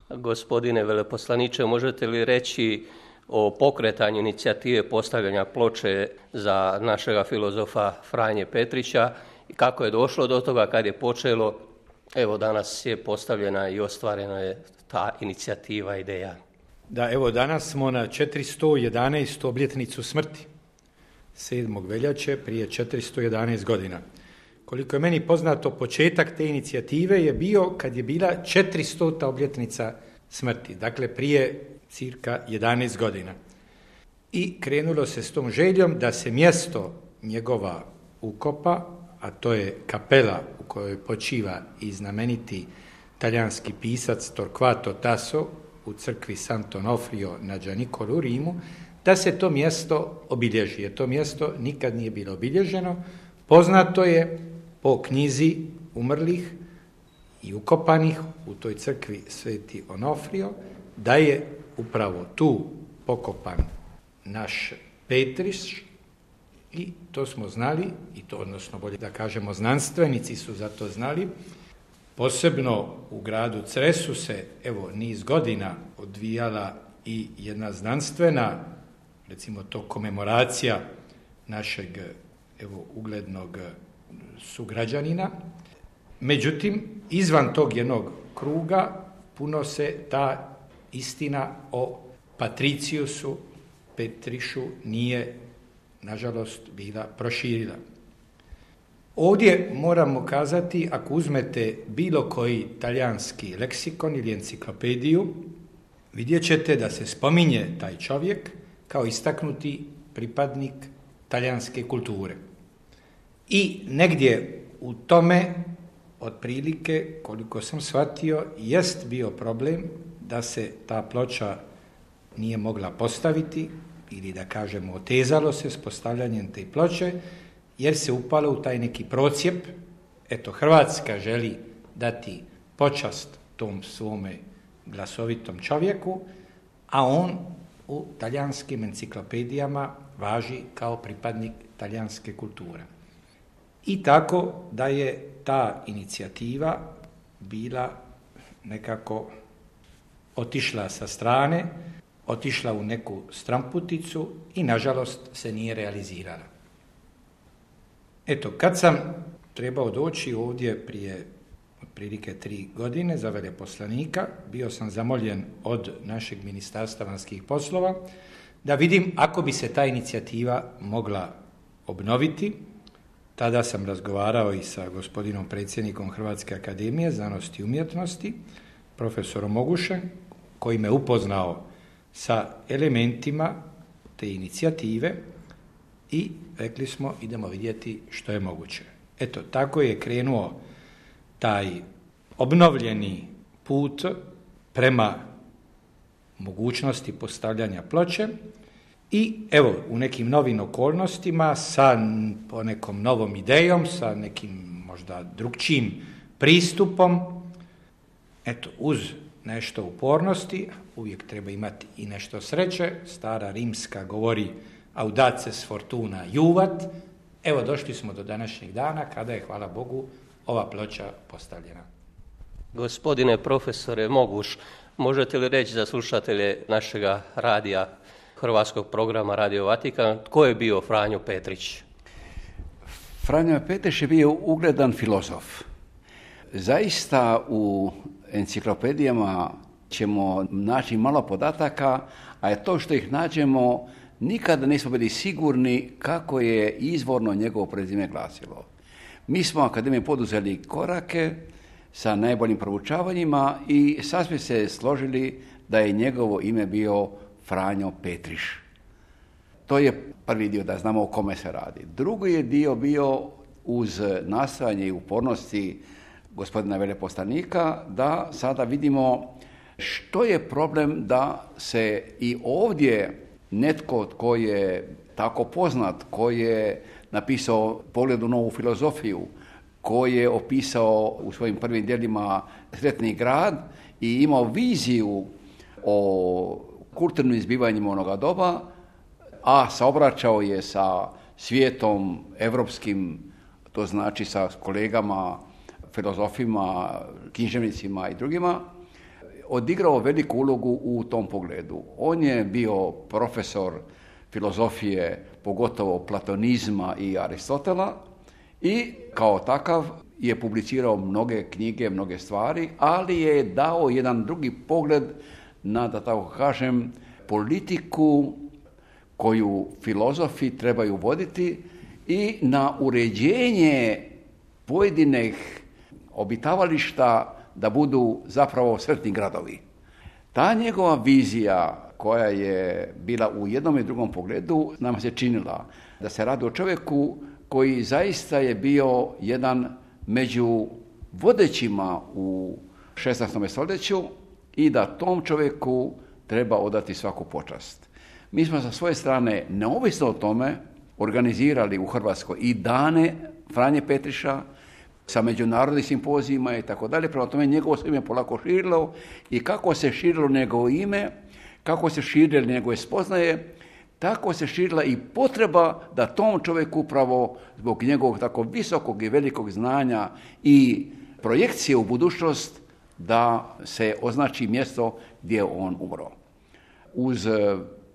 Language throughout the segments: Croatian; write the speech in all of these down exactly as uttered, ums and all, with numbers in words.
Gospodine veleposlaniče, možete li reći o pokretanju inicijative postavljanja ploče za našega filozofa Franje Petrića i kako je došlo do toga, kad je počelo? Evo, danas je postavljena i ostvarena je ta inicijativa, ideja. Da, evo danas smo na četiristo jedanaestu obljetnicu smrti, sedmog veljače prije četiristo jedanaest godina. Koliko je meni poznato, početak te inicijative je bio kad je bila četiristota obljetnica smrti, dakle prije cirka jedanaest godina. I krenulo se s tom željom da se mjesto njegova ukopa, a to je kapela u kojoj počiva i znameniti talijanski pisac Torquato Tasso u crkvi Sant'Onofrio na Gianicolo u Rimu, da se to mjesto obilježi. Jer to mjesto nikad nije bilo obilježeno. Poznato je po knjizi umrlih i ukopanih u toj crkvi Sveti Onofrio da je upravo tu pokopan naš Petriš, i to smo znali, i to odnosno bolje da kažemo znanstvenici su za to znali. Posebno u gradu Cresu se evo niz godina odvijala i jedna znanstvena, recimo to komemoracija našeg evo uglednog sugrađanina. Međutim, izvan tog jednog kruga puno se ta istina o Patriciusu Petrišu nije, nažalost, bila proširila. Ovdje moramo kazati, ako uzmete bilo koji talijanski leksikon ili enciklopediju, vidjet ćete da se spominje taj čovjek kao istaknuti pripadnik talijanske kulture. I negdje u tome, otprilike, koliko sam shvatio, jest bio problem da se ta ploča nije mogla postaviti, ili da kažemo otezalo se s postavljanjem te ploče, jer se upalo u taj neki procijep. Eto, Hrvatska želi dati počast tom svome glasovitom čovjeku, a on u talijanskim enciklopedijama važi kao pripadnik talijanske kulture. I tako da je ta inicijativa bila nekako otišla sa strane, otišla u neku stramputicu i nažalost se nije realizirala. Eto, kad sam trebao doći ovdje prije otprilike tri godine za veleposlanika, bio sam zamoljen od našeg Ministarstva vanjskih poslova da vidim ako bi se ta inicijativa mogla obnoviti. Tada sam razgovarao i sa gospodinom predsjednikom Hrvatske akademije znanosti i umjetnosti, profesorom Mogušem, koji me upoznao sa elementima te inicijative i rekli smo idemo vidjeti što je moguće. Eto, tako je krenuo taj obnovljeni put prema mogućnosti postavljanja ploče i evo u nekim novim okolnostima sa ponekom novom idejom, sa nekim možda drugčijim pristupom, eto uz nešto upornosti, uvijek treba imati i nešto sreće, stara rimska govori audaces fortuna juvat. Evo došli smo do današnjeg dana kada je, hvala Bogu, ova ploča postavljena. Gospodine profesore Moguš, možete li reći za slušatelje našega radija, hrvatskog programa Radio Vatikan, tko je bio Franjo Petrić? Franjo Petrić je bio ugledan filozof. Zaista u enciklopedijama ćemo naći malo podataka, a je to što ih nađemo nikada nismo bili sigurni kako je izvorno njegovo prezime glasilo. Mi smo u akademiji poduzeli korake sa najboljim proučavanjima i sasvim se složili da je njegovo ime bio Franjo Petriš. To je prvi dio, da znamo o kome se radi. Drugi je dio bio uz nastojanje i upornosti gospodina veleposlanika da sada vidimo što je problem da se i ovdje netko tko je tako poznat, ko je napisao Pogled u novu filozofiju, ko je opisao u svojim prvim djelima Sretni grad i imao viziju o kulturnim zbivanjima onoga doba, a saobraćao je sa svijetom evropskim, to znači sa kolegama, filozofima, književnicima i drugima. odigrao veliku ulogu u tom pogledu. On je bio profesor filozofije, pogotovo platonizma i Aristotela, i kao takav je publicirao mnoge knjige, mnoge stvari, ali je dao jedan drugi pogled na, da tako kažem, politiku koju filozofi trebaju voditi i na uređenje pojedinih obitavališta da budu zapravo sretni gradovi. Ta njegova vizija koja je bila u jednom i drugom pogledu nam se činila da se radi o čovjeku koji zaista je bio jedan među vodećima u šesnaestom stoljeću i da tom čovjeku treba odati svaku počast. Mi smo sa svoje strane, neovisno o tome, organizirali u Hrvatskoj i dane Franje Petriša sa međunarodnim simpozijima i tako dalje. Prema tome njegovo se ime polako širilo i kako se širilo njegovo ime, kako se širile njegove spoznaje, tako se širila i potreba da tom čovjeku upravo zbog njegovog tako visokog i velikog znanja i projekcije u budućnost da se označi mjesto gdje je on umro. Uz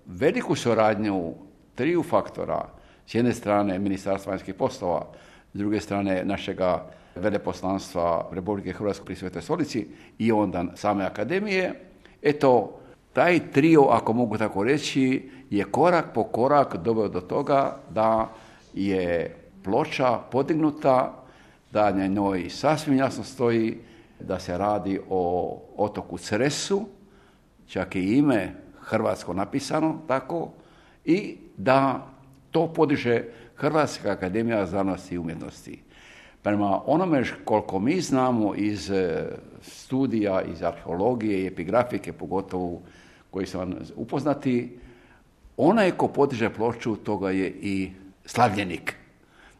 veliku suradnju triju faktora, s jedne strane Ministarstva vanjskih poslova, s druge strane našega veleposlanstva Republike Hrvatske pri Svetoj stolici i onda same akademije, eto, taj trio, ako mogu tako reći, je korak po korak doveo do toga da je ploča podignuta, da na njoj sasvim jasno stoji da se radi o otoku Cresu, čak i ime hrvatsko napisano tako, i da to podiže Hrvatska akademija znanosti i umjetnosti. Prema onome koliko mi znamo iz studija, iz arheologije i epigrafike, pogotovo koji su vam upoznati, onaj ko podiže ploču, toga je i slavljenik.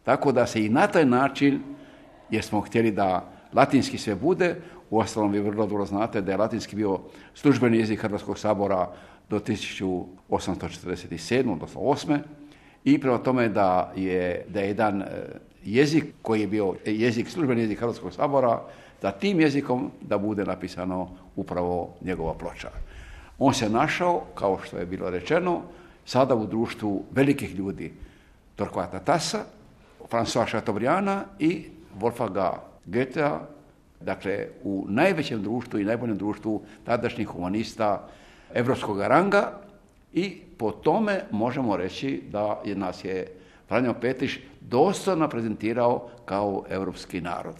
Tako da se i na taj način, jer smo htjeli da latinski sve bude, uostalom vi vrlo dobro znate da je latinski bio službeni jezik Hrvatskog sabora do tisuću osamsto četrdeset sedme, odnosno osme, i prema tome da je, da je jedan jezik koji je bio jezik, službeni jezik Hrvatskog sabora, da tim jezikom da bude napisano upravo njegova ploča. On se našao, kao što je bilo rečeno, sada u društvu velikih ljudi, Torquata Tassa, François Chateaubrianda i Wolfganga Goethea, dakle u najvećem društvu i najboljem društvu tadašnjih humanista evropskog ranga, i po tome možemo reći da je nas je Franjo Petriš dostojno prezentirao kao europski narod.